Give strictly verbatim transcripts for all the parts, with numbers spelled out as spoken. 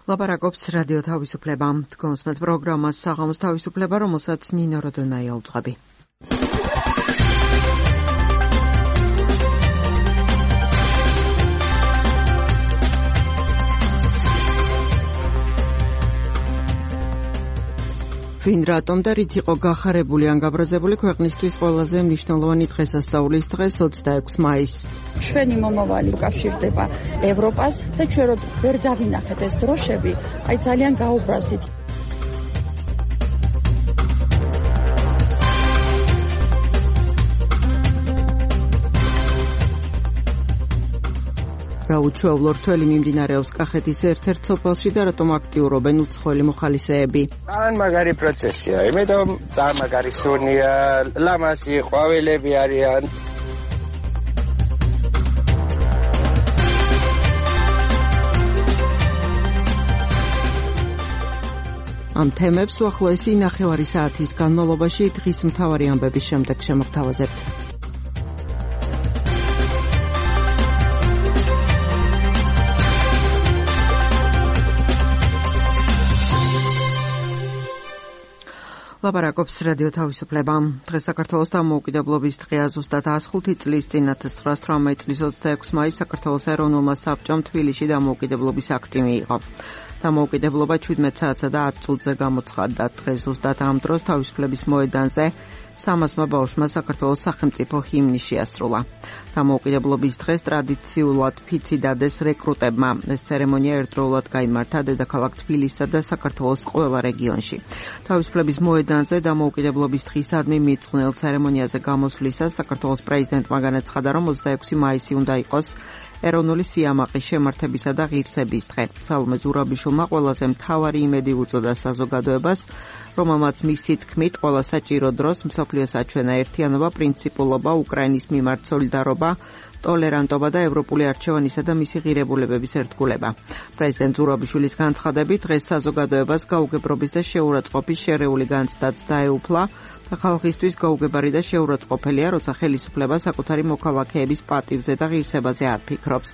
ლაპარაკობს რადიო თავისუფლება. Თქვენს პროგრამას საღამოს თავისუფლება, რომელსაც ნინო როდონაია უძღვები. ვინ რატომ და რით იყო გახარებული ან გაბრაზებული ქვეყნისთვის ყველაზე მნიშვნელოვანი დღესასწაულის დღეს ოცდაექვსი მაისს. ჩვენი მომავალი უკავშირდება ევროპას და ჩვენ რო ვერ დავინახეთ ეს დროშები, აი ძალიან გაუბრაზდით. რა უჩვეულო რთველი მიმდინარეობს კახეთის ერთ-ერთ სოფელში და რატომ აქტიურობენ უცხოელი მოხალისეები? ძალიან მაგარი პროცესია, იმიტომ ძალიან მაგარი სუნია, ლამაზი ყვავილები არიან. ამ თემებს უახლოესი ნახევარი საათის განმავლობაში დღის მთავარი ამბების შემდეგ შემოგთავაზებთ. ლაპარაკობს რადიო თავისუფლება. დღეს საქართველოს დამოუკიდებლობის დღეა, ზუსტად ას ხუთი წლის წინ ათას ცხრაას თვრამეტი წლის ოცდაექვსი მაისს საქართველოს ეროვნულმა საბჭომ თბილისში დამოუკიდებლობის აქტი მიიღო. დამოუკიდებლობა ჩვიდმეტ საათსა და ათ წუთზე გამოცხადდა. დღეს ზუსტად ამ დროს თავისუფლების მოედანზე სამასმა ბავშვმა საქართველოს სახელმწიფო ჰიმნი შეასრულა. დამოუკიდებლობის დღეს ტრადიციულად ფიცი დადეს რეკრუტებმა. ეს ცერემონია ერთდროულად გაიმართა დედაქალაქ თბილისსა და საქართველოს ყველა რეგიონში. თავისუფლების მოედანზე დამოუკიდებლობის დღისადმი მიძღვნილ ცერემონიაზე გამოსვლისას საქართველოს პრეზიდენტმა განაცხადა, რომ ოცდაექვსი მაისი უნდა იყოს ეროვნული სიამაყის, შემართებისა და ღირსების დღე. სალომე ზურაბიშვილმა ყველაზე მთავარი იმედი უწოდა საზოგადოებას, რომელმაც მისი თქმით ყველა საჭირო დროს მსოფლიოს აჩვენა ერთიანობა, პრინციპულობა, უკრაინის მიმართ სოლიდარობა, ტოლერანტობა და ევროპული არჩევანისა და მისი ღირებულებების ერთგულება. პრეზიდენტ ზურაბიშვილის განცხადებით, დღეს საზოგადოებას გაუგებრობის და შეურაცხყოფის შერეული განცდაც დაეუფლა და ხალხისთვის გაუგებარი და შეურაცხყოფელია, როცა ხელისუფლება საკუთარი მოქალაქეების პატივზე და ღირსებაზე არ ფიქრობს.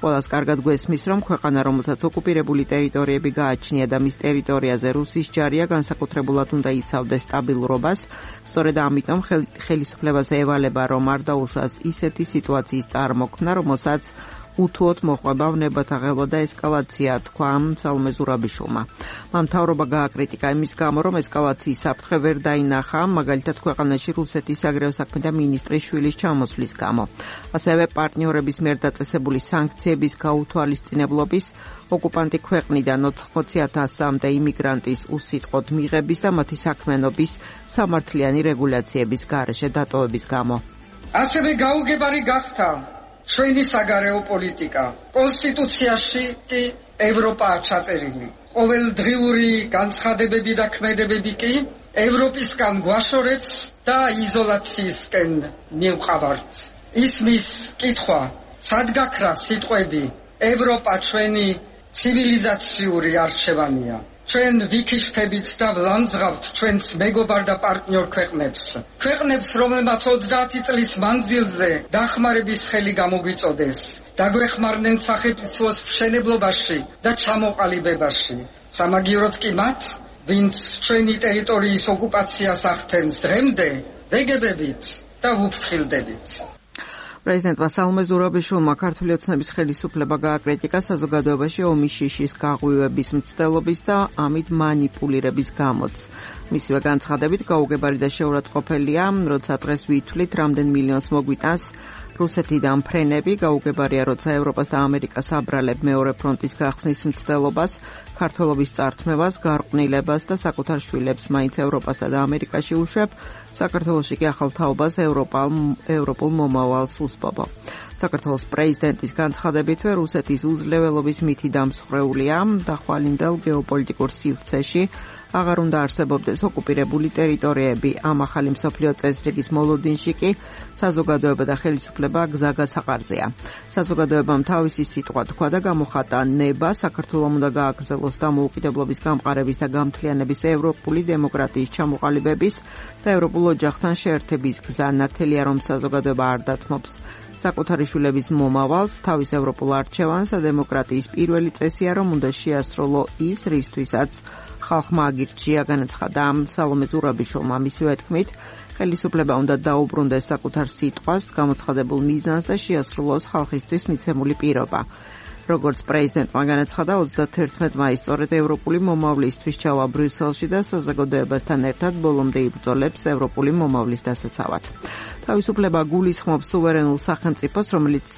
ყველას კარგად გვესმის, რომ ქვეყანა, რომელსაც ოკუპირებული ტერიტორიები გააჩნია და მის ტერიტორიაზე რუსის ჯარია, განსაკუთრებულად უნდა იცავდეს სტაბილურობას. სწორედ ამიტომ ხელისუფლებაზე ევალება, რომ არ დაუშვას ისეთი სიტუაციის წარმოქმნა, რომელსაც უთუოდ მოყვება ვნებათა ღელვა და ესკალაცია, თქვა სალომე ზურაბიშვილმა. მან მთავრობა გააკრიტიკა იმის გამო, რომ ესკალაციის საფრთხე ვერ დაინახა, მაგალითად ქვეყანაში რუსეთის საგარეო საქმეთა მინისტრის შვილის ჩამოსვლის გამო. ასევე პარტნიორების მიერ დაწესებული სანქციების გაუთვალისწინებლობის, ოკუპანტი ქვეყნიდან ოთხმოცი ათასამდე იმიგრანტის უსიტყვოდ მიღების და მათი საქმიანობის სამართლიანი რეგულაციების გარეშე დატოვების გამო. ასევე გაუგებარი გახდა ჩვენი საგარეო პოლიტიკა. კონსტიტუციაში კი ევროპაა ჩაწერილი. ყოველდღიური განცხადებები და ქმედებები კი ევროპისგან გვაშორებს და იზოლაციისკენ მივყავართ. ისმის კითხვა, სად გაქრა სიტყვები ევროპა ჩვენი ცივილიზაციური არჩევანია. ჩვენ ვიქიშფებით და ვლანძღავთ ჩვენს მეგობარ და პარტნიორ ქვეყნებს. ქვეყნებს, რომელმაც ოცდაათი წლის მანძილზე დახმარების ხელი გამოგვიწოდეს, დაგვეხმარნენ სახელმწიფოს მშენებლობაში და ჩამოყალიბებაში. სამაგიეროდ კი მათ, ვინც ჩვენი ტერიტორიის ოკუპაციას ახდენს დღემდე, ვეგებებით და ვუფრთხილდებით. პრეზიდენტმა სალომე ზურაბიშვილმა ქართული ოცნების ხელისუფლება გააკრიტიკა საზოგადოებაში ომის შიშის გაღვივების მცდელობის და ამით მანიპულირების გამოც. მისივე განცხადებით გაუგებარი და შეურაცხყოფელია, როცა დღეს ვითვლით, რამდენ მილიონს მოგვიტანს რუსეთიდან ფრენები, გაუგებარია, როცა ევროპას და ამერიკას აბრალებ მეორე ფრონტის გახსნის მცდელობას, ქართველობის წართმევას, გარყვნილებას და საკუთარ შვილებს მაინც ევროპასა და ამერიკაში უშვებ, საქართველოში კი ახალ თაობას ევროპულ მომავალს უსპობო. საქართველოს პრეზიდენტის განცხადებითვე რუსეთის უძლეველობის მითი დამსხვრეულია, დახვალინდელ გეოპოლიტიკურ სივრცეში აღარ უნდა არსებობდეს ოკუპირებული ტერიტორიები. ამ ახალი მსოფლიო წესრიგის მოლოდინში კი საზოგადოება და ხელისუფლება გზაგასაყარზეა. საზოგადოებამ თავისი სიტყვა თქვა და გამოხატა ნება საქართველოს უნდა გააგრძელოს დამოუკიდებლობის გამყარების და გამთლიანების ევროპული დემოკრატიის ჩამოყალიბების და ევროპულ ოჯახთან შეერთების გზა. ნათელია, რომ საზოგადოება არ დათმობს საკუთარი შვილების მომავალს, თავის ევროპულ არჩევანს და დემოკრატიის პირველი წესია, რომ უნდა შეასრულო ის, რისთვისაც ხალხმა აგირჩია, განაცხადა სალომე ზურაბიშვილმა. მისივე თქმით, ხელისუფლება უნდა დაუბრუნდეს საკუთარ სიტყვას, გამოცხადებულ მიზანს და შეასრულოს ხალხისთვის მიცემული პირობა. როგორც პრეზიდენტმა განაცხადა, ოცდათერთმეტ მაისს სწორედ ევროპული მომავლისთვის ჩავა ბრიუსელში და საზოგადოებასთან ერთად ბოლომდე იბრძოლებს ევროპული მომავლის დასაცავად. თავისუფლება გულისხმობს სუვერენულ სახელმწიფოს, რომელიც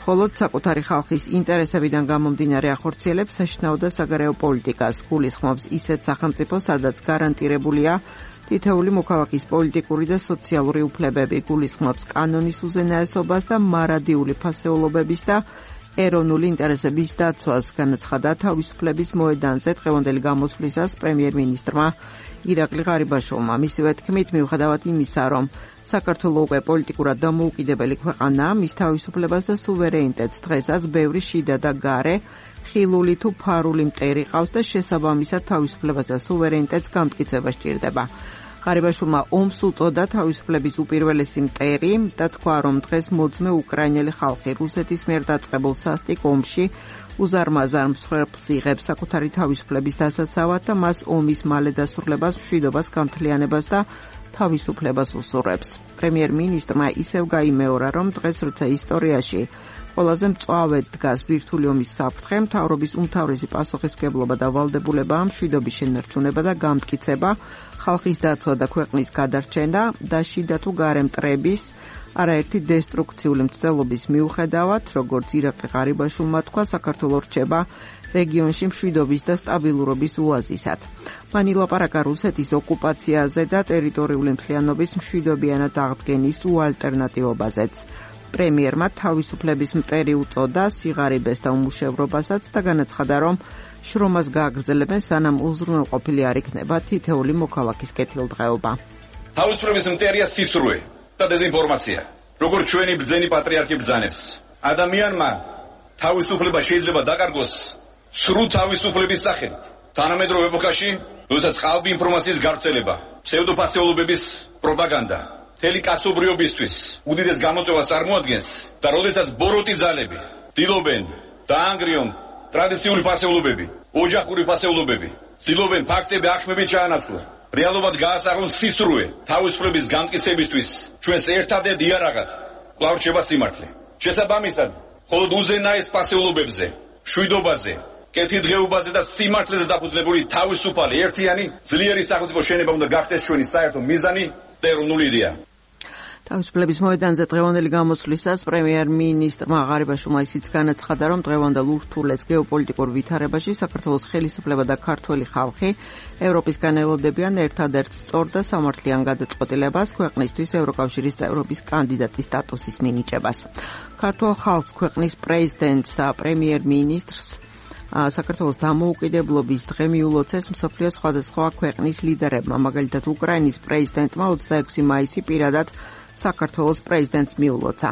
მხოლოდ საკუთარი ხალხის ინტერესებიდან გამომდინარე ახორციელებს საშინაო და საგარეო პოლიტიკას. გულისხმობს ისეთ სახელმწიფოს, სადაც გარანტირებულია თითოეული მოქალაქის პოლიტიკური და სოციალური უფლებები. გულისხმობს კანონის უზენაესობას და მარადიული ფასეულობების და ეროვნული ინტერესების დაცვას, განაცხადა თავისუფლების მოედანზე დღევანდელი გამოსვლისას პრემიერ-მინისტრმა ირაკლი ღარიბაშვილმა. მისივე თქმით, მიუხედავად იმისა, რომ საქართველოს უკვე პოლიტიკურად დამოუკიდებელი ქვეყანაა, მის თავისუფლებას და სუვერენიტეტს დღესაც ბევრი შიდა და გარე, ხილული თუ ფარული მტერი ყავს და შესაბამისად თავისუფლებას და სუვერენიტეტს გამტკიცება სჭირდება. ღარიბაშვილმა ომს უწოდა თავისუფლების უპირველესი მტერი და თქვა, რომ დღეს მოძმე უკრაინელი ხალხი რუსეთის მიერ დაწყებულ სასტიკ ომში უზარმაზარ მსხვერპლს იღებს საკუთარი თავისუფლების დასაცავად და მას ომის მალე დასრულებას, მშვიდობას, გამთლიანებას და თავისუფლებას უსურვებს. პრემიერ-მინისტრმა ისევ გაიმეორა, რომ დღეს როცა ისტორიაში ყველაზე მწვავედ დგას ბირთვული ომის საფრთხე, მთავრობის უმთავრესი პასუხისმგებლობა და ვალდებულება მშვიდობის შენარჩუნება და გამტკიცება, ხალხის დაცვა და ქვეყნის გადარჩენა და შიდა თუ გარე მტრების არაერთი დესტრუქციული მცდელობის მიუხედავად, როგორც ირაკლი ღარიბაშვილმა თქვა, საქართველოს რჩება რეგიონში მშვიდობის და სტაბილურობის ოაზისად. მან ილაპარაკა რუსეთის ოკუპაციაზე და ტერიტორიული მთლიანობის მშვიდობიანად აღდგენის უალტერნატივობაზეც. პრემიერმა თავისუფლების მტერი უწოდა სიღარიბეს და უმუშევრობასაც და განაცხადა, რომ შრომას გააგრძელებენ, სანამ უზრუნველყოფილი არ იქნება თითოეული მოქალაქის კეთილდღეობა. თავისუფლების მტერია სიცრუე და დეზინფორმაცია. როგორც ჩვენი ბრძენი პატრიარქი ბრძანებს, ადამიანმა თავისუფლება შეიძლება დაკარგოს სრულ თავისუფლების სახელით. თანამედროვე ეპოქაში, როდესაც ყალბი ინფორმაციის გავრცელება, ფსევდოფასეულობების პროპაგანდა მთელი კაცობრიობისთვის უდიდეს გამოწვევას წარმოადგენს და როდესაც ბოროტი ძალები ცდილობენ დაანგრიონ ტრადიციული ფასეულობები, ოჯახური ფასეულობები, ცდილობენ ფაქტები აღქმებით ჩაანაცვლონ, რეალობად გაასაღონ სისრუე თავისუფლების გამტკიცებისთვის ჩვენს ერთადერთ იარაღად კვლავ რჩება სიმართლე. შესაბამისად, მხოლოდ უზენაეს ფასეულობებზე, მშვიდობაზე, კეთილდღეობაზე და სიმართლეზე დაფუძნებული თავისუფალი ერთიანი ძლიერი სახელმწიფო შენება უნდა გახდეს ჩვენი საერთო მიზანი და ეროვნული იდეა. თავისუფლების მოედანზე დღევანდელი გამოსვლისას პრემიერ-მინისტრმა ღარიბაშვილმა ისიც განაცხადა, რომ დღევანდელ ურთულეს გეოპოლიტიკურ ვითარებაში საქართველოს ხელისუფლება და ქართველი ხალხი ევროპისგან ელოდებიან ერთადერთ სწორ და სამართლიან გადაწყვეტილებას ქვეყნისთვის ევროკავშირის წევრობის კანდიდატის სტატუსის მინიჭებას. ქართულ ხალხს, ქვეყნის პრეზიდენტს და პრემიერ-მინისტრს საქართველოს დამოუკიდებლობის დღე მიულოცეს მსოფლიოს სხვადასხვა ქვეყნის ლიდერებმა, მაგალითად უკრაინის პრეზიდენტმა ოცდაექვსი მაისი პირადად საქართველოს პრეზიდენტს მიულოცა.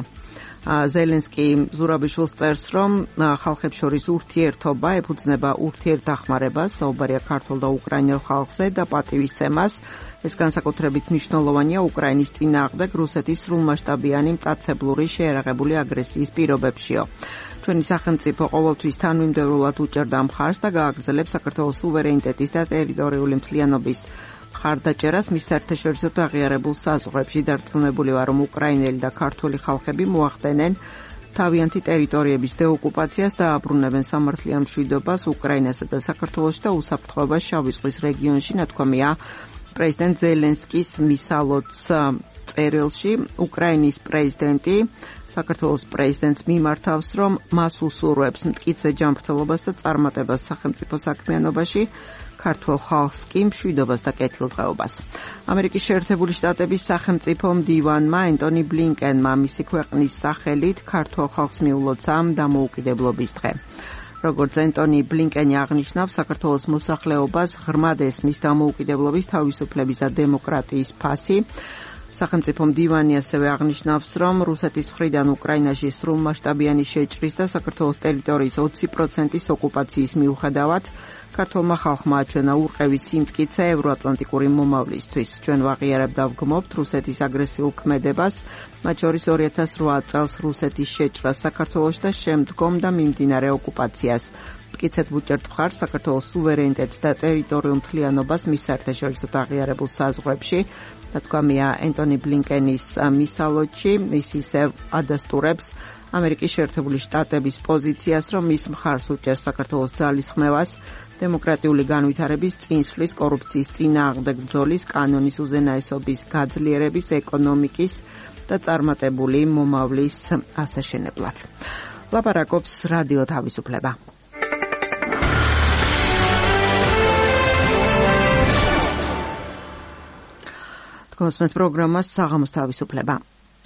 ზელენსკი ზურაბიშვილს წერს, რომ ხალხებს შორის ურთიერთობა ეფუძნება ურთიერთდახმარებას, საუბარია ქართულ და უკრაინელ ხალხზე და პატივისცემას. ეს განსაკუთრებით მნიშვნელოვანია უკრაინის წინააღმდეგ რუსეთის სრულმასშტაბიანი მტაცებლური შეერაღებული აგრესიის პირობებშიო. ჩვენი სახელმწიფო ყოველთვის თანმიმდევრულად უჭერდა მხარს და გააგრძელებს საქართველოს სუვერენიტეტის და ტერიტორიული მთლიანობის მხარდაჭერას მის საერთაშორისო აღიარებულ საზღვრებში. დარწმუნებული ვარ, რომ უკრაინელი და ქართველი ხალხები მოახდენენ თავიანთი ტერიტორიების დეოკუპაციას და აბრუნებენ სამართლიან მშვიდობას უკრაინასა და საქართველოში და უსაფრთხოებას შავი ზღვის რეგიონში, ნათქვამია პრეზიდენტ ზელენსკის მისალოც წერილში. უკრაინის პრეზიდენტი საქართველოს პრეზიდენტს მიმართავს, რომ მას უსურვებს მტკიცე ჯანმრთელობას და წარმატებას სახელმწიფო საქმიანობაში, ქართულ ხალხს კი მშვიდობას და კეთილდღეობას. ამერიკის შეერთებული შტატების სახელმწიფო მდივანმა ენტონი ბლინკენმა მისი ქვეყნის სახელით ქართულ ხალხს მიულოცა დამოუკიდებლობის დღე. როგორც ენტონი ბლინკენი აღნიშნავს, საქართველოს მოსახლეობას ღრმად ესმის დამოუკიდებლობის, თავისუფლების და დემოკრატიის ფასი. სახელმწიფო მდივანი ასევე აღნიშნავს, რომ რუსეთის მხრიდან უკრაინაში სრულმასშტაბიანი შეჭრის და საქართველოს ტერიტორიის ოცი პროცენტის ოკუპაციის მიუხედავად ქართულმა ხალხმა აჩვენა ურყევი სიმტკიცე ევროატლანტიკური მომავლისთვის. ჩვენ ვაღიარებთ და ვგმობთ რუსეთის აგრესიულ ქმედებას, მათ შორის ორი ათას რვა წელს რუსეთის შეჭრას საქართველოში და შემდგომ და მიმდინარე ოკუპაციას. მტკიცედ ვუჭერთ მხარს საქართველოს სუვერენიტეტს და ტერიტორიულ მთლიანობას მის საერთაშორისო აღიარებულ საზღვრებში. ნათქვამია ენტონი ბლინკენის მისალოჩი, ის ისევ ადასტურებს ამერიკის შეერთებული შტატების პოზიციას, რომ ის მხარს უჭერს საქართველოს ძალისხმევას, დემოკრატიული განვითარების წინსვლის, კორუფციის წინააღმდეგ ბრძოლის, კანონის უზენაესობის გაძლიერების, ეკონომიკის და წარმატებული მომავლის ასაშენებლად. ლაპარაკობს რადიო თავისუფლება. გოსმეთ პროგრამას საღამოს თავისუფლება.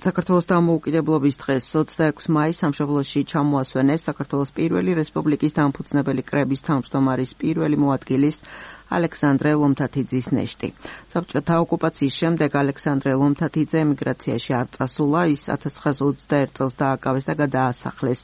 საქართველოს დამოუკიდებლობის დღეს ოცდაექვსი მაისს სამშობლოში ჩამოასვენეს საქართველოს პირველი რესპუბლიკის დამფუძნებელი კრების თავმჯდომარის პირველი მოადგილის ალექსანდრე ლომთათიძის ნეშტი. საბჭოთა ოკუპაციის შემდეგ ალექსანდრე ლომთათიძე ემიგრაციაში არ წასულა, ის ათას ცხრაას ოცდაერთ წელს დააკავეს და გადაასახლეს.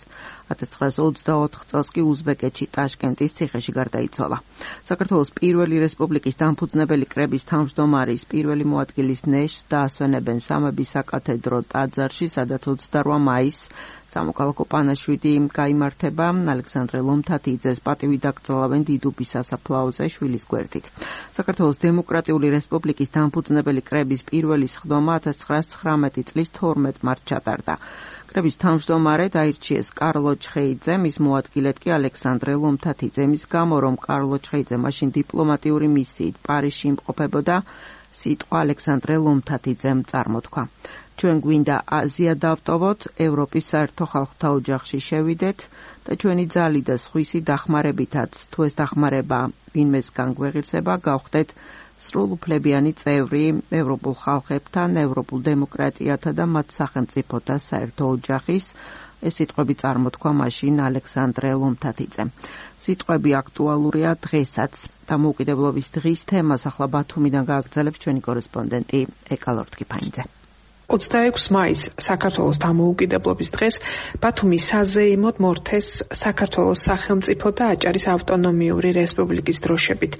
ათას ცხრაას ოცდაოთხ წელს კი უზბეკეთში ტაშკენტის ციხეში გარდაიცვალა. საქართველოს პირველი რესპუბლიკის დამფუძნებელი კრების თავმჯდომარის პირველი მოადგილის ნეშტს დაასვენებენ სამების საკათედრო ტაძარში, სადაც ოცდარვა მაისს სამოქალაქო პანაშვიდი გაიმართება ალექსანდრე ლომთათიძეს პატივი დაკრძალავენ დიდუბის სასაფლაოზე შვილის გვერდით. საქართველოს დემოკრატიული რესპუბლიკის დამფუძნებელი კრების პირველი სხდომა ათას ცხრაას ცხრამეტი წლის თორმეტ მარტს ჩატარდა. კრების თავმჯდომარედ აირჩიეს კარლო ჩხეიძე, მის მოადგილედ კი ალექსანდრე ლომთათიძე. მის გამო, რომ კარლო ჩხეიძე მაშინ დიპლომატიური მისიით პარიზში იმყოფებოდა, სიტყვა ალექსანდრე ლომთათიძემ წარმოთქვა. ჩვენ გვინდა აზია დავტოვოთ, ევროპის საერთო ხალხთა ოჯახში შევიდეთ და ჩვენი ძალი და სხვისი დახმარებითაც, თუ ეს დახმარება ვინმეს განგვეღირსება, გავხდეთ სრულუფლებიანი წევრი ევროპულ ხალხებთან, ევროპულ დემოკრატიათა და მათ სახელმწიფოთა საერთო ოჯახის. ეს სიტყვები წარმოთქვა მაშინ ალექსანდრე ლომთათიძემ. სიტყვები აქტუალურია დღესაც. დამოუკიდებლობის დღის თემას ახლა ბათუმიდან გააგრძელებს ჩვენი კორესპონდენტი ეკა ლორთქიფანიძე. ოცდაექვსი მაისს საქართველოს დამოუკიდებლობის დღეს ბათუმის საზეიმოდ მორთეს საქართველოს სახელმწიფო და აჭარის ავტონომიური რესპუბლიკის დროშებით.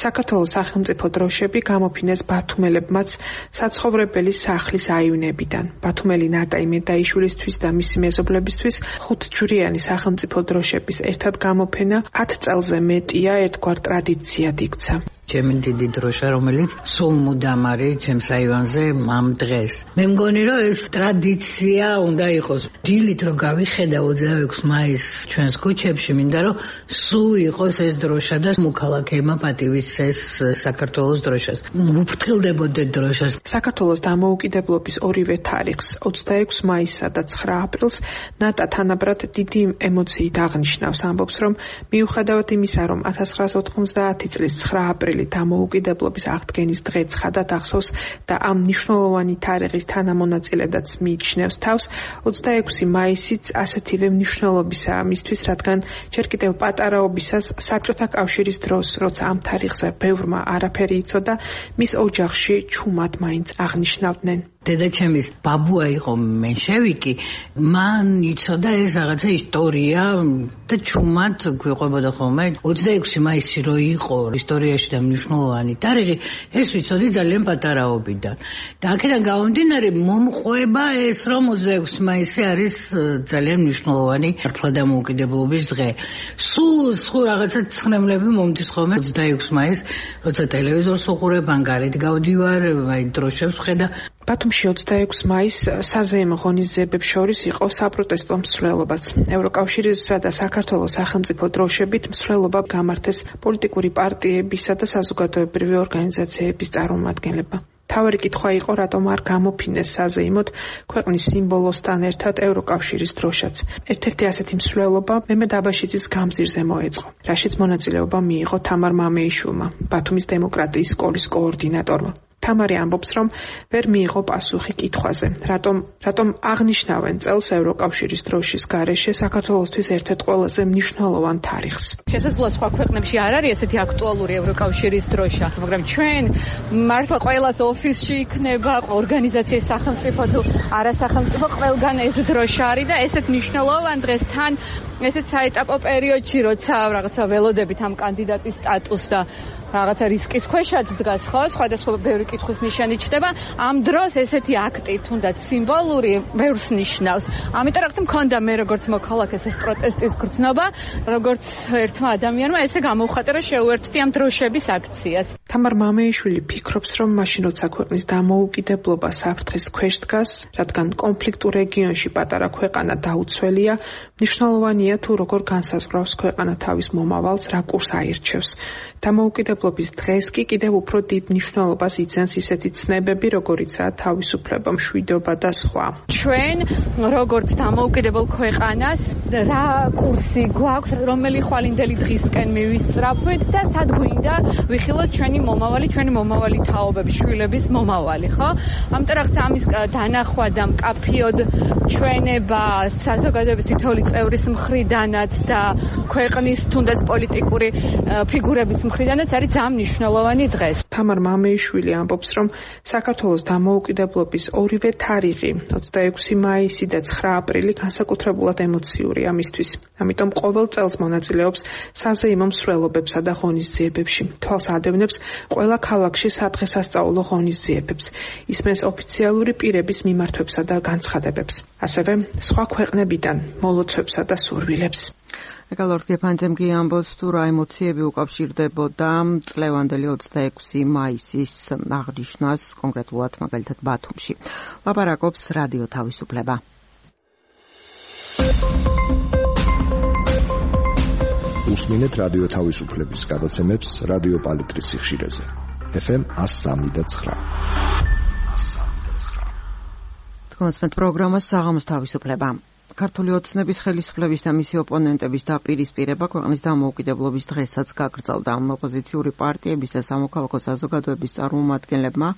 საქართველოს სახელმწიფო დროშები გამოფინეს ბათუმელებმაც საცხოვრებელი სახლის აივნებიდან. ბათუმელი ნატაი მედაიშვილისთვის და მისი მეზობლებისთვის ხუთჯვრიანი სახელმწიფო დროშების ერთად გამოფენა ათ წელზე მეტია ერთგვარ ტრადიციად იქცა. ჩემი დიდი დროშა, რომელიც სულ მუდამ არის ჩემს აივანზე ამ დღეს. მე მგონი, რომ ეს ტრადიცია უნდა იყოს. დილით რომ გავიხედა ოცდაექვსი მაისს ჩვენს ქუჩებში, მინდა რომ სულ იყოს ეს დროშა და მოქალაქეებმა პატივისცეს საქართველოს დროშას. ვუფრთხილდებოდეთ დროშას. საქართველოს დამოუკიდებლობის ორივე თარიღს, ოცდაექვსი მაისსა და ცხრა აპრილს, ნატა თანაბრად დიდი ემოციით აღნიშნავს, ამბობს, რომ მიუხედავად იმისა, რომ ათას ცხრაას ოთხმოცდაათი წლის ცხრა აპრილი დამოუკიდებლობის აღდგენის დღე ცხადად ახსოვს და ამ მნიშვნელოვანი თარიღის თანამონაწილედაც მიიჩნევს თავს, ოცდაექვსი მაისიც ასეთივე მნიშვნელობისაა მისთვის, რადგან ჯერ კიდევ პატარაობისას საბჭოთა კავშირის დროს, როცა ამ თარიღზე ბევრმა არაფერი იცოდა, მის ოჯახში ჩუმად მაინც აღნიშნავდნენ. დედაჩემის ბაბუა იყო მენშევიკი, მან იცოდა ეს რაღაცა ისტორია და ჩუმად გვიყვებოდა ხოლმე. ოცდაექვსი მაისი რო იყო ისტორიაში და მნიშვნელოვანი თარიღი, ეს ვიცოდი ძალიან პატარაობიდან. და აქედან გამომდინარე მომყვება ეს, რომ ოცდაექვსი მაისი არის ძალიან მნიშვნელოვანი მართლა დამოუკიდებლობის დღე. სულ სულ რაღაცა ცხნემლები მომდის ხოლმე ოცდაექვსი მაისს, როცა ტელევიზორს უყურებ, ან გარეთ გავდივარ, აი დროშებს ვხედა. ბათუმში ოცდაექვსი მაისს საზეიმო ღონისძიებებს შორის იყო საპროტესტო მსვლელობაც. ევროკავშირისა და საქართველოს სახელმწიფო დროშებით მსვლელობა გამართეს პოლიტიკური პარტიებისა და საზოგადოებრივი ორგანიზაციების წარმომადგენლებმა. თავარი კითხვა იყო, რატომ არ გამოფინეს საზეიმოდ ქვეყნის სიმბოლოსთან ერთად ევროკავშირის დროშაც. ერთ-ერთი ასეთი მსვლელობა მემედ აბაშიძის გამზირზე მოეწყო, რაშიც მონაწილეობა მიიღო თამარ მამეიშვილმა, ბათუმის დემოკრატიის სკოლის კოორდინატორმა. თამარი ამბობს, რომ ვერ მიიღო პასუხი კითხვაზე, რატომ რატომ აღნიშნავენ წელს ევროკავშირის დროშის გარეშე საქართველოსთვის ერთ-ერთ ყველაზე მნიშვნელოვან თარიღს. შესაძლოა სხვა ქვეყნებში არ არის ესეთი აქტუალური ევროკავშირის დროშა, მაგრამ ჩვენ მართლა ყველას ოფისში იქნება, ორგანიზაციის სახელმწიფო თუ არასახელმწიფო ყველგან ეს დროშა არის და ესეთ მნიშვნელოვან დღეს თან ესეთ საეტაპო პერიოდში, როცა რაღაცა ველოდებით ამ კანდიდატის სტატუსს და რაღაცა რისკის ქვეშაც დგას, ხო, სხვადასხვა ბევრი კითხვის ნიშანი ჩნდება, ამ დროს ესეთი აქტი თუნდაც სიმბოლური ბევრს ნიშნავს. ამიტომ რაღაც მქონდა მე როგორც მოქალაქეს ეს პროტესტის გრძნობა, როგორც ერთმა ადამიანმა ესე გამოვხატა, რომ შეუერთდი ამ დროშების აქციას. თამარ მამეიშვილი ფიქრობს, რომ მაშინ როცა ქვეყნის დამოუკიდებლობა საფრთხის ქვეშ დგას, რადგან კონფლიქტურ რეგიონში პატარა ქვეყანა დაუცველია, მნიშვნელოვანია თუ როგორ განსაზღვრავს ქვეყანა თავის მომავალს, რა კურსს აირჩევს. დამოუკიდებლობის დღეს კი კიდევ უფრო დიდ მნიშვნელობას იძენს ისეთი ცნებები, როგორიცაა თავისუფლება, მშვიდობა და სხვა. ჩვენ როგორც დამოუკიდებელ ქვეყანას რა კურსი გვაქვს, რომელი ხვალინდელი დღისკენ მივისწრაფვით და სად გვინდა ვიხილოთ ჩვენი მომავალი, ჩვენი მომავალი თაობების, შვილების მომავალი, ხო? ამიტომ რაღაც ამის დანახვა და მკაფიოდ ჩვენება საზოგადოების თითოეული წევრის მხრიდანაც და ქვეყნის თუნდაც პოლიტიკური ფიგურების მხრიდანაც არის ძალიან მნიშვნელოვანი დღეს. თამარ მამეიშვილი ამბობს, რომ საქართველოს დამოუკიდებლობის ორივე თარიღი, ოცდაექვსი მაისი და ცხრა აპრილი განსაკუთრებულად ემოციურია მისთვის. ამიტომ ყოველ წელს მონაწილეობს საზეიმო მსვლელობებსა და ღონისძიებებში. თვალს ადევნებს ყველა ქალაქში სადღესასწაულო ღონისძიებებს. ისმენს ოფიციალური პირების მიმართვებსა და განცხადებებს. ასევე სხვა ქვეყნებიდან მოლოცვებსა და სურვილებს. ეკალორდ გეფანძემ კი ამბობს, თუ რა ემოციები უკავშირდებოდა წლევანდელი ოცდაექვსი მაისის აღნიშვნას, კონკრეტულად მაგალითად ბათუმში. ლაპარაკობს რადიო თავისუფლება. უსმინეთ რადიო თავისუფლების გადაცემებს რადიო პალიტრის სიხშირეზე. ეფ ემ one oh three point nine. თქვენს პროგრამას საღამოს თავისუფლება. ქართული ოცნების ხელისუფლების და მისი ოპონენტების დაპირისპირება ქვეყნის დამოუკიდებლობის დღესაც გაგრძელდა. ოპოზიციური პარტიების და სამოქალაქო საზოგადოების წარმომადგენლებმა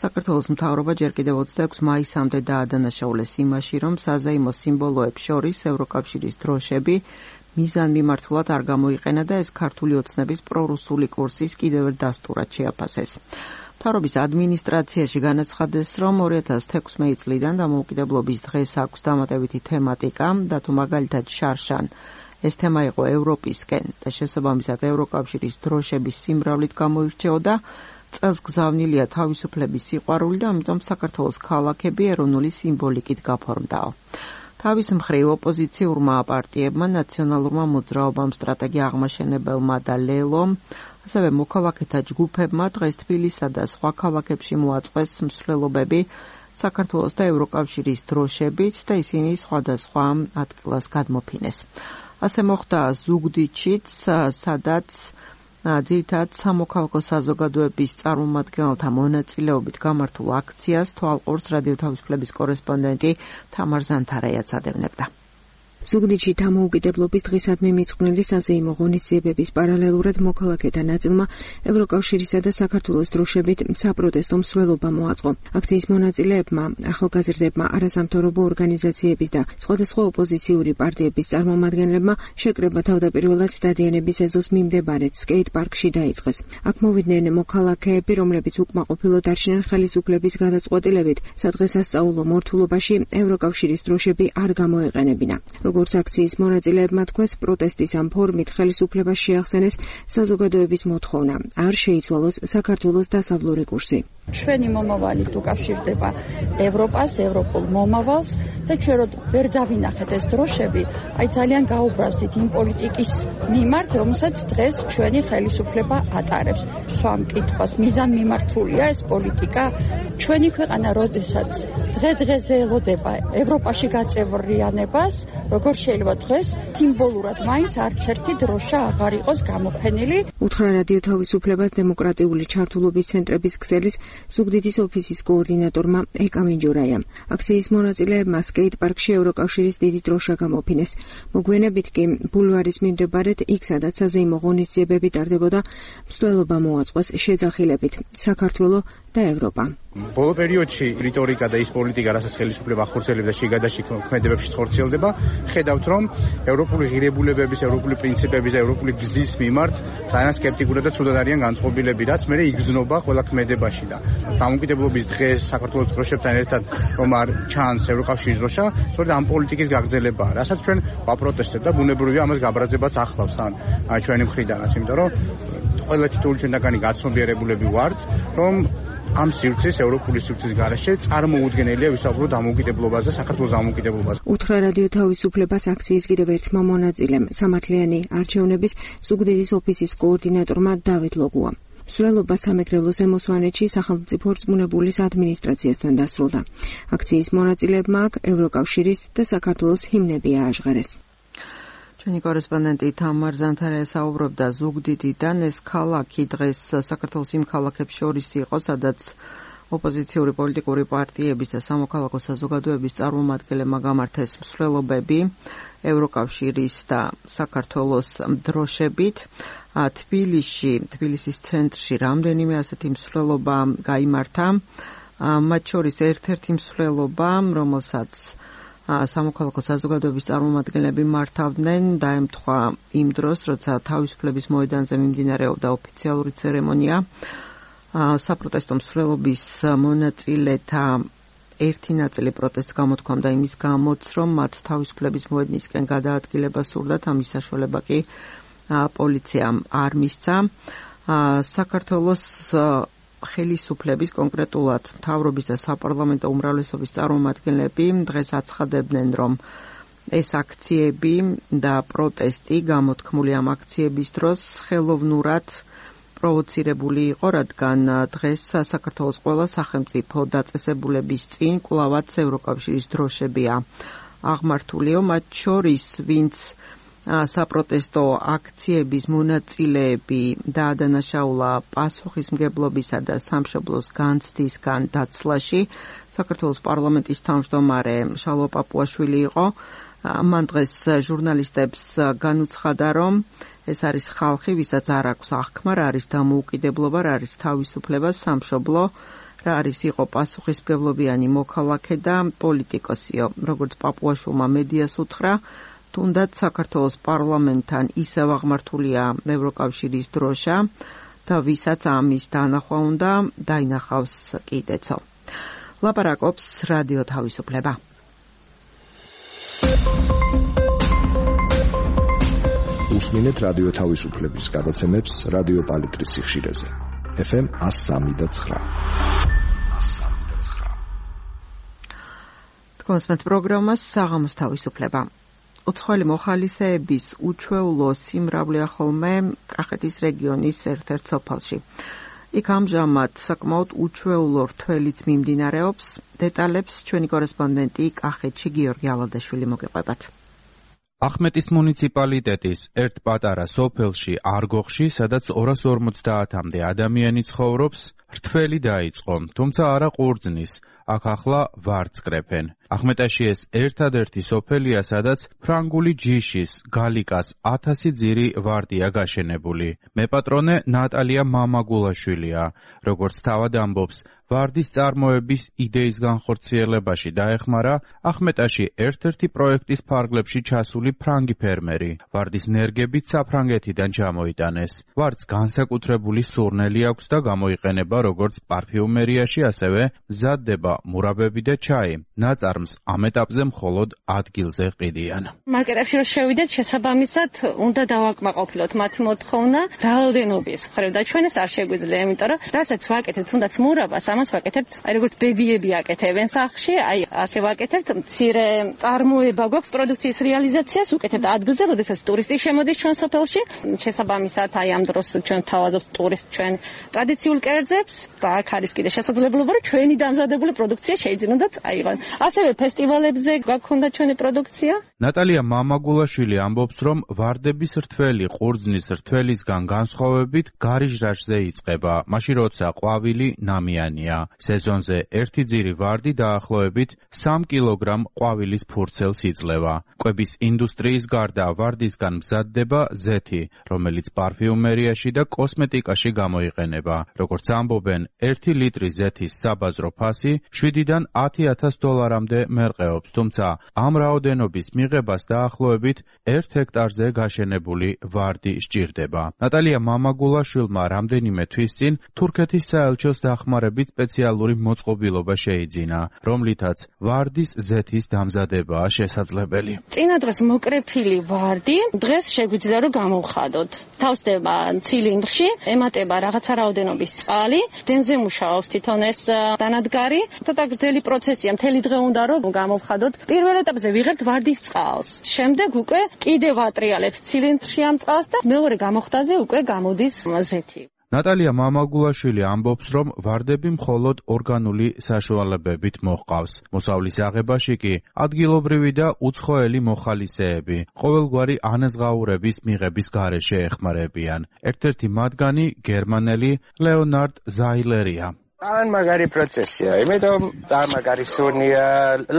საქართველოს მთავრობა ჯერ კიდევ ოცდაექვსი მაისამდე დაადანაშაულეს იმაში, რომ საზეიმო სიმბოლოებს შორის ევროკავშირის დროშები მიზანმიმართულად არ გამოიყენა და ეს ქართული ოცნების პრორუსული კურსის კიდევ ერთ დასტურად შეაფასეს. მთავრობის ადმინისტრაციაში განაცხადეს, რომ ორი ათას თექვსმეტი წლიდან დამოუკიდებლობის დღეს აქვს დამატებითი თემატიკა და თუ მაგალითად შარშან ეს თემა იყო ევროპისკენ და შესაბამისად ევროკავშირის დროშების სიმრავლით გამოირჩეოდა, წელს გზავნილია თავისუფლების სიყვარული და ამიტომ საქართველოს ქალაქები ეროვნული სიმბოლიკით გაფორმდაო. თავის მხრივ ოპოზიციურმა პარტიებმა, ნაციონალურმა მოძრაობამ, სტრატეგია აღმაშენებელმა და ლელომ, ასევე მოქალაქეთა ჯგუფებმა დღეს თბილისსა და სხვა ქალაქებში მოაწყვეს მსვლელობები საქართველოს და ევროკავშირის დროშებით და ისინი სხვადასხვა ადგილას გადმოფინეს. ასე მოხდა ზუგდიდშიც, სადაც ძირითადად სამოქალაქო საზოგადოების წარმომადგენელთა მონაწილეობით გამართულ აქციას თვალყურს რადიო თავისუფლების კორესპონდენტი თამარ ზანთარაიაც ადევნებდა. ზუგდიდში დამოუკიდებლობის დღისადმი მიწყვნილი საზეიმო ღონისძიებების პარალელურად მოქალაქეთა ნაწილმა ევროკავშირისა და საქართველოს დროშებით საპროტესტო მსვლელობა მოაწყო. აქციის მონაწილეებმა, ახალგაზრდებმა, არასამთავრობო ორგანიზაციების და სხვადასხვა ოპოზიციური პარტიების წარმომადგენლებმა შეკრება თავდაპირველად დადიანების ეზოს მიმდებარე სკეიტ პარკში დაიწყეს. აქ მოვიდნენ მოქალაქეები, რომლებიც უკმაყოფილო დარჩნენ ხელისუფლების გადაწყვეტილებით, სადღესასწაულო მორთულობაში ევროკავშირის დროშები არ გამოეყენებინა. როგორც აქციის მონაწილეებმა თქვეს, პროტესტის ამ ფორმით ხელისუფლებას შეახსენეს საზოგადოების მოთხოვნა, არ შეიცვალოს საქართველოს დასავლური კურსი. ჩვენი მომავალი უკავშირდება ევროპას, ევროპულ მომავალს და ჩვენ ვერ დავინახეთ ეს დროშები, აი ძალიან გაუბრაზდით იმ პოლიტიკის მიმართ, რომელსაც დღეს ჩვენი ხელისუფლება ატარებს. სვამ კითხვას, მიზანმიმართულია ეს პოლიტიკა. ჩვენი ქვეყანა, როდესაც დღე-დღეზე ელოდება ევროპაში გაწევრიანებას, როგორ შეიძლება დღეს სიმბოლურად მაინც არც ერთი დროშა აღარ იყოს გამოფენილი. უთხრა რადიო თავისუფლებას დემოკრატიული ჩართულობის ცენტრების ქსელის ზუგდიდის ოფისის კოორდინატორმა ეკა მინჯურაიამ. აქციის მონაწილეებმა სკეით პარკში ევროკავშირის დიდი დროშა გამოფინეს. მოგვიანებით კი ბულვარის მიმდებარედ იქ, სადაც საზეიმო ღონისძიებები ტარდებოდა, მსვლელობა მოაწყოს შეძახილებით საქართველო და ევროპა. ბოლო პერიოდში რიტორიკა და ის პოლიტიკა, რასაც ხელისუფლება ახორციელებს და შიგადაში ქმედებებში ხორციელდება, ხედავთ, რომ ევროპული ღირებულებების, ევროპული პრინციპების და ევროპული გზის მიმართ ძალიან სკეპტიკურად და ცუდად არიან განწყობილები, რაც მერე იგრძნობა ყველა ქმედებაში და დამოუკიდებლობის დღეს საქართველოს დროშებთან ერთად რომ არ ჩანს ევროკავშირის დროშა, სწორედ ამ პოლიტიკის გაგრძელებაა, რასაც ჩვენ ვაპროტესტებთ და ბუნებრივია ამას გაბრაზებაც ახლავს თან ჩვენი მხრიდანაც, იმიტომ რომ ყველა თითოეული ჩვენთაგანი გაცნობიერებულები ვართ, რომ ამ სივრცის ევროპული სივრცის გარეშე წარმოუდგენელია ვისაუბროთ დამოუკიდებლობაზე და საქართველოს დამოუკიდებლობაზე. უთხრა რადიო თავისუფლებას აქციის კიდევ ერთმა მონაწილემ სამართლიანი არჩევნების ზუგდიდის ოფისის კოორდინატორმა დავით ლოგუამ. მსვლელობა სამეგრელო ზემოსვანეთში სახელმწიფო რწმუნებულის ადმინისტრაციასთან დასრულდა. აქციის მონაწილეებმა აქ ევროკავშირის და საქართველოს ჰიმნები ააჟღერეს. ჩვენი კორესპონდენტი თამარ ზანთარია საუბრობდა ზუგდიდიდან. ეს ქალაქი დღეს საქართველოს იმ ქალაქებს შორის იყო, სადაც ოპოზიციური პოლიტიკური პარტიების და სამოქალაქო საზოგადოების წარმომადგენლებმა გამართეს მსვლელობები ევროკავშირის და საქართველოს დროშებით. თბილისში, თბილისის ცენტრში რამდენიმე ასეთი მსვლელობა გაიმართა. მათ შორის ერთ-ერთი მსვლელობა, რომელსაც სამოქალაქო საზოგადოების წარმომადგენლები მართავდნენ, დაემთხვა იმ დროს, როცა თავისუფლების მოედანზე მიმდინარეობდა ოფიციალური ცერემონია. საპროტესტო მსვლელობის მონაწილეთა ერთი ნაწილი პროტესტს გამოთქვამდა იმის გამოც, რომ მათ თავისუფლების მოედნისკენ გადაადგილება სურდათ, ამის საშუალება კი პოლიციამ არ მისცა. საქართველოს ხელისუფლების, კონკრეტულად მთავრობის და საპარლამენტო უმრავლესობის წარმომადგენლები დღეს აცხადებდნენ, რომ ეს აქციები და პროტესტი გამოთქმული ამ აქციების დროს ხელოვნურად პროვოცირებული იყო, რადგან დღეს საქართველოს ყველა სახელმწიფო დაწესებულების წინ კვლავაც ევროკავშირის დროშებია აღმართულიო, მათ შორის ვინც საპროტესტო აქციების მონაწილეები დაადანაშაულა პასუხისმგებლობისა და სამშობლოს განცდისგან დაცლაში. საქართველოს პარლამენტის თავმჯდომარე შალვა პაპუაშვილი იყო. მან დღეს ჟურნალისტებს განუცხადა, რომ ეს არის ხალხი, ვისაც არ აქვს აღქმა, რა არის დამოუკიდებლობა, რა არის თავისუფლება, სამშობლო, რა არის იყო პასუხისმგებლობიანი მოქალაქე და პოლიტიკოსიო. როგორც პაპუაშვილმა მედიას უთხრა, თუნდაც საქართველოს პარლამენტთან ისევ აღმართულია ევროკავშირის დროშა და ვისაც ამის დანახვა უნდა დაინახავს კიდეცო. ლაპარაკობს რადიო თავისუფლება. უსმინეთ რადიო თავისუფლების გადაცემებს რადიო პალიტრის სიხშირეზე. ეფ ემ one oh three და nine. თქვენს პროგრამას საღამოს თავისუფლება. უცხოელი მოხალისეების უჩვეულო სიმრავლეა ხოლმე კახეთის რეგიონის ერთ-ერთ სოფელში. იქ ამჟამად საკმაოდ უჩვეულო რთველიც მიმდინარეობს. დეტალებს ჩვენი კორესპონდენტი კახეთში გიორგი ალადაშვილი მოგეყვებათ. ახმეტის მუნიციპალიტეტის ერთ პატარა სოფელში არგოხში, სადაც ორას ორმოცდაათამდე ადამიანი ცხოვრობს, რთველი დაიწყო, თუმცა არა ყურძნის. აქ ახლა ვარწკრეფენ. ახმეტაში ეს ერთადერთი სოფელია, სადაც ფრანგული ჯიშის, გალიკას ათასი ძირი ვარდია გაშენებული. მეპატრონე ნატალია მამაგულაშვილია. როგორც თავად ამბობს, ვარდის წარმოების იდეის განხორციელებაში დაეხმარა ახმეტაში ერთ-ერთი პროექტის ფარგლებში ჩასული ფრანგი ფერმერი. ვარდის ნერგებით საფრანგეთიდან ჩამოიტანეს. ვარდს განსაკუთრებული სურნელი აქვს და გამოიყენება როგორც პარფიუმერიაში, ასევე მზადდება მურაბები და ჩაი. ნაწარმს ამ ეტაპზე მხოლოდ ადგილზე ყიდიან. მარკეტებში რომ შევიდეთ, შესაბამისად უნდა დავაკმაყოფილოთ მათი მოთხოვნა რაოდენობის მხრივ და ჩვენს არ შეგვიძლია, იმიტომ რომ რასაც ვაკეთებთ, თუნდაც მურაბას, ამას ვაკეთებთ, აი როგორც ბებიები აკეთებენ სახლში, აი ასე ვაკეთებთ, მცირე წარმოება გვაქვს პროდუქციის რეალიზაციას უკეთებთ ადგილზე, როდესაც ტურისტი შემოდის ჩვენ სოფელში. შესაბამისად, აი ამ დროს ჩვენ თავაზობთ ტურისტ ჩვენ ტრადიციულ კერძებს და აქ არის კიდე შესაძლებლობა, რომ ჩვენი დამზადებული პროდუქცია შეიძლება წაიღონ. ასევე ფესტივალებზე გვაქვს ჩვენი პროდუქცია. ნატალია მამაგულაშვილი ამბობს, რომ ვარდების რთველი ყურძნის რთველისგან განსხვავებით გარიჟრაჟზე იწყება, მაშინ როცა ყვავილი ნამიანია. სეზონზე ერთი ძირი ვარდი დაახლოებით სამ კილოგრამ ყვავილის ფურცელს იძლევა. კვების ინდუსტრიის გარდა ვარდისგან მზადდება ზეთი, რომელიც პარფიუმერიაში და კოსმეტიკაში გამოიყენება. როგორც ამბობენ, ერთი ლიტრი ზეთის საბაზრო ფასი შვიდიდან ათი ათას დოლარამდე მერყეობს, თუმცა ამ რაოდენობის მიღებას დაახლოებით ერთ ჰექტარზე გაშენებული ვარდი სჭირდება. ნატალია მამაგულაშვილმა რამდენიმე თვის წინ თურქეთის საელჩოს დახმარებით სპეციალური მოწყობილობა შეიძინა, რომლითაც ვარდის ზეთის დამზადებაა შესაძლებელი. წინა დღეს მოკრეფილი ვარდი დღეს შეგვიძლია რომ გამოვხადოთ. თავსდება ცილინდრში, ემატება რაღაცა რაოდენობის წყალი, დენზე მუშაობს თვითონ ეს დანადგარი. ცოტა გრძელი პროცესია, მთელი დღე უნდა რომ გამოვხადოთ. პირველ ეტაპზე ვიღებთ ვარდის წყალს. შემდეგ უკვე კიდევ ვატრიალებთ ცილინდრში ამ წყალს და მეორე გამოხდაზე უკვე გამოდის ზეთი. ნატალია მამაგულაშვილი ამბობს, რომ ვარდები მხოლოდ ორგანული საშუალებებით მოჰყავს. მოსავლის აღებაში კი ადგილობრივი და უცხოელი მოხალისეები ყოველგვარი ანაზღაურების მიღების გარეშე ეხმარებიან. ერთ-ერთი მათგანი გერმანელი ლეონარდ ზაილერია. ძალიან მაგარი პროცესია, იმიტომ ძალიან სუნია,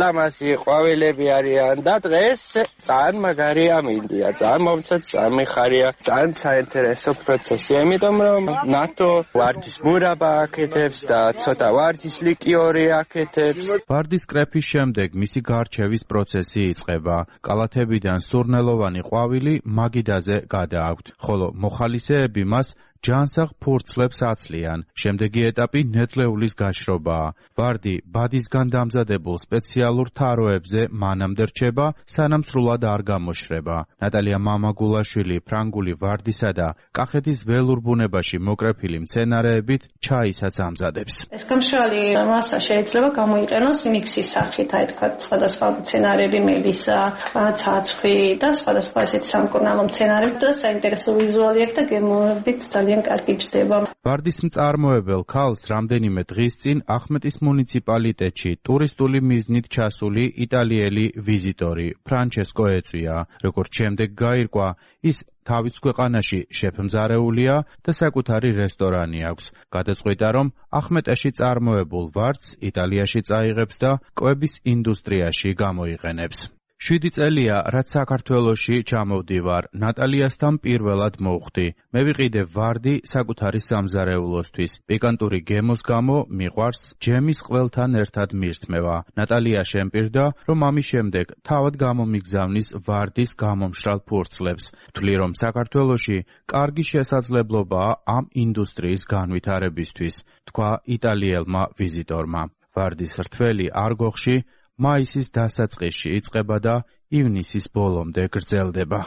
ლამაზი ყვავილები არიან და დღეს ძალიან მაგარი ამინდია, ძალიან მომწონს, ძალიან მიხარია, ძალიან საინტერესო პროცესია, იმიტომ რომ ნატო ვარდის მურაბა აკეთებს და ცოტა ვარდის ლიკიორი აკეთებს. ვარდის კრეფის შემდეგ მისი გარჩევის პროცესი იწყება. კალათებიდან სურნელოვანი ყვავილი მაგიდაზე გადააქვთ, ხოლო მოხალისეები მას ჯანსაღ ფურცლებს აცლიან. შემდეგი ეტაპი ნედლეულის გაშრობაა. ვარდი ბადისგან დამზადებულ სპეციალურ თაროებზე მანამდე რჩება, სანამ სრულად არ გამოშრება. ნატალია მამაგულაშვილი ფრანგული ვარდისა და კახეთის ველურ ბუნებაში მოკრეფილი მცენარეებით ჩაისაც ამზადებს. ეს გამშრალი მასა შეიძლება გამოიყენოს მიქსის სახით, აი თქვა სხვადასხვა მცენარეები, მელისა, ცაცხვი და სხვადასხვა ესეთი სამკურნალო მცენარეები და საინტერესო ვიზუალი აქვს და გემოებით კარგი ჩდება. ვარდის მწარმოებელ ქალს რამდენიმე დღის წინ ახმეტის მუნიციპალიტეტში ტურისტული მიზნით ჩასული იტალიელი ვიზიტორი ფრანჩესკო ეწვია. როგორც შემდეგ გაირკვა, ის თავის ქვეყანაში შეფმზარეულია და საკუთარი რესტორანი აქვს. გადაწყვიტა, რომ ახმეტაში წარმოებულ ვარდს იტალიაში წაიღებს და კვების ინდუსტრიაში გამოიყენებს. შვიდი წელია, რაც საქართველოში ჩამოვდივარ, ნატალიასთან პირველად მოვხვდი. მე ვიყიდე ვარდი საკუთარი სამზარეულოსთვის. პიკანტური გემოს გამო მიყვარს ჯემის ყველთან ერთად მირთმევა. ნატალია შემპირდა, რომ ამის შემდეგ თავად გამომიგზავნის ვარდის გამომშრალ ფურცლებს. ვთვლი, რომ საქართველოში კარგი შესაძლებლობაა ამ ინდუსტრიის განვითარებისთვის, თქვა იტალიელმა ვიზიტორმა. ვარდის რთველი არგოხში მაისის დასაწყისში იწყება და ივნისის ბოლომდე გრძელდება.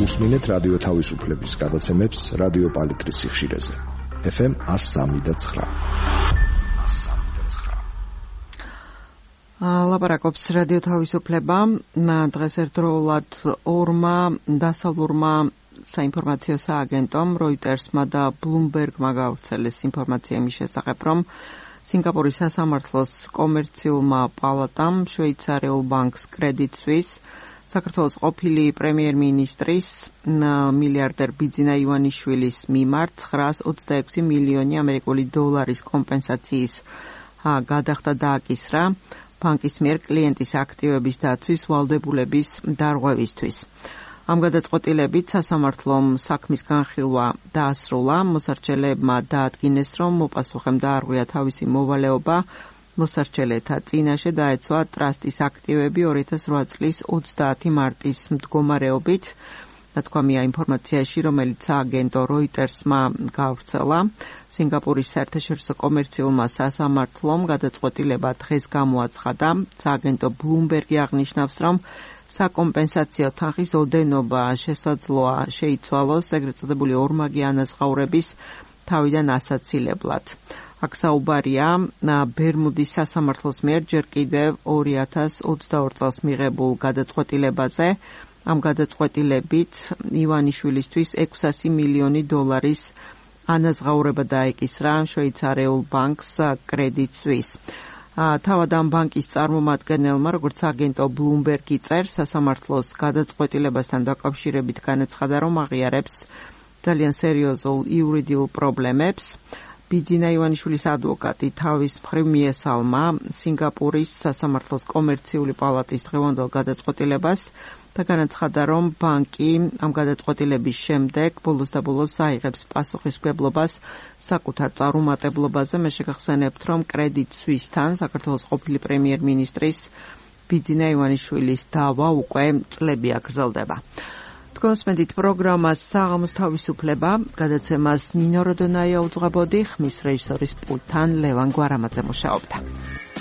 უსმინეთ რადიო თავისუფლების გადაცემებს რადიო პალიტრის სიხშირეზე. ეფ ემ one oh three point nine. ლაპარაკობს რადიო თავისუფლება. დღეს ერთდროულად ორმა დასავლურმა საინფორმაციო სააგენტომ Reuters-მა და Bloomberg-მა გავრცელეს ინფორმაცია იმის შესახებ, რომ სინგაპურის სასამართლოს კომერციულმა პალატამ შვეიცარიულ ბანკს Credit Suisse საქართველოს ყოფილი პრემიერ-მინისტრის მილიარდერ ბიძინა ივანიშვილის მიმართ ცხრაას ოცდაექვსი მილიონი ამერიკული დოლარის კომპენსაციის გადახდა დააკისრა ბანკის მიერ კლიენტის აქტივების დაცვის ვალდებულების დარღვევისთვის. ამ გადაწყვეტილებით სასამართლომ საქმის განხილვა დაასრულა, მოსარჩელებმა დაადგინეს, რომ მოპასუხემ დაარღვია თავისი მოვალეობა, მოსარჩელეთა წინაშე დაეცვა ტრასტის აქტივები ორი ათას რვა წლის ოცდაათი მარტის მდგომარეობით ნათქვამია ინფორმაციაში, რომელიც სააგენტო Reuters-მა გავრცელა. სინგაპურის საერთაშორისო კომერციულმა სასამართლომ გადაწყვეტილება დღეს გამოაცხადა. სააგენტო Bloomberg-ი აღნიშნავს, რომ საკომპენსაციო თანხის ოდენობა შესაძლოა შეიცვალოს ეგრეთ წოდებული ორმაგი ანაზღაურების თავიდან ასაცილებლად. აქ საუბარია ბერმუდის სასამართლოს მიერ ჯერ კიდევ ორი ათას ოცდაორ წელს მიღებულ გადაწყვეტილებაზე. ამ გადაწყვეტილებით ივანიშვილისთვის ექვსასი მილიონი დოლარის ანაზღაურება დაეკისრა შვეიცარიულ ბანკს Credit Suisse. თავად ამ ბანკის წარმომადგენელმა, როგორც აგენტო Bloomberg-ი წერს, სასამართლოს გადაწყვეტილებასთან დაკავშირებით განაცხადა, რომ აღიარებს ძალიან სერიოზულ იურიდიულ პრობლემებს. ბიძინა ივანიშვილის ადვოკატი თავის მხრივ მიესალმა სინგაპურის სასამართლოს კომერციული პალატის დღევანდელ გადაწყვეტილებას და განაცხადა, რომ ბანკი ამ გადაწყვეტილების შემდეგ ბოლოს და ბოლოს აიღებს პასუხისმგებლობას საკუთარ წარუმატებლობაზე. მე შეგახსენებთ, რომ Credit Suisse-თან საქართველოს ყოფილი პრემიერ-მინისტრის ბიძინა ივანიშვილის დავა უკვე წლები აგრძელდება. თქვენსმენთ პროგრამას საღამოს თავისუფლება, გადაცემას ნინო როდონაია უძღვებოდი, ხმის რეჟისორის პულტთან ლევან გვარამაძე მუშაობდა.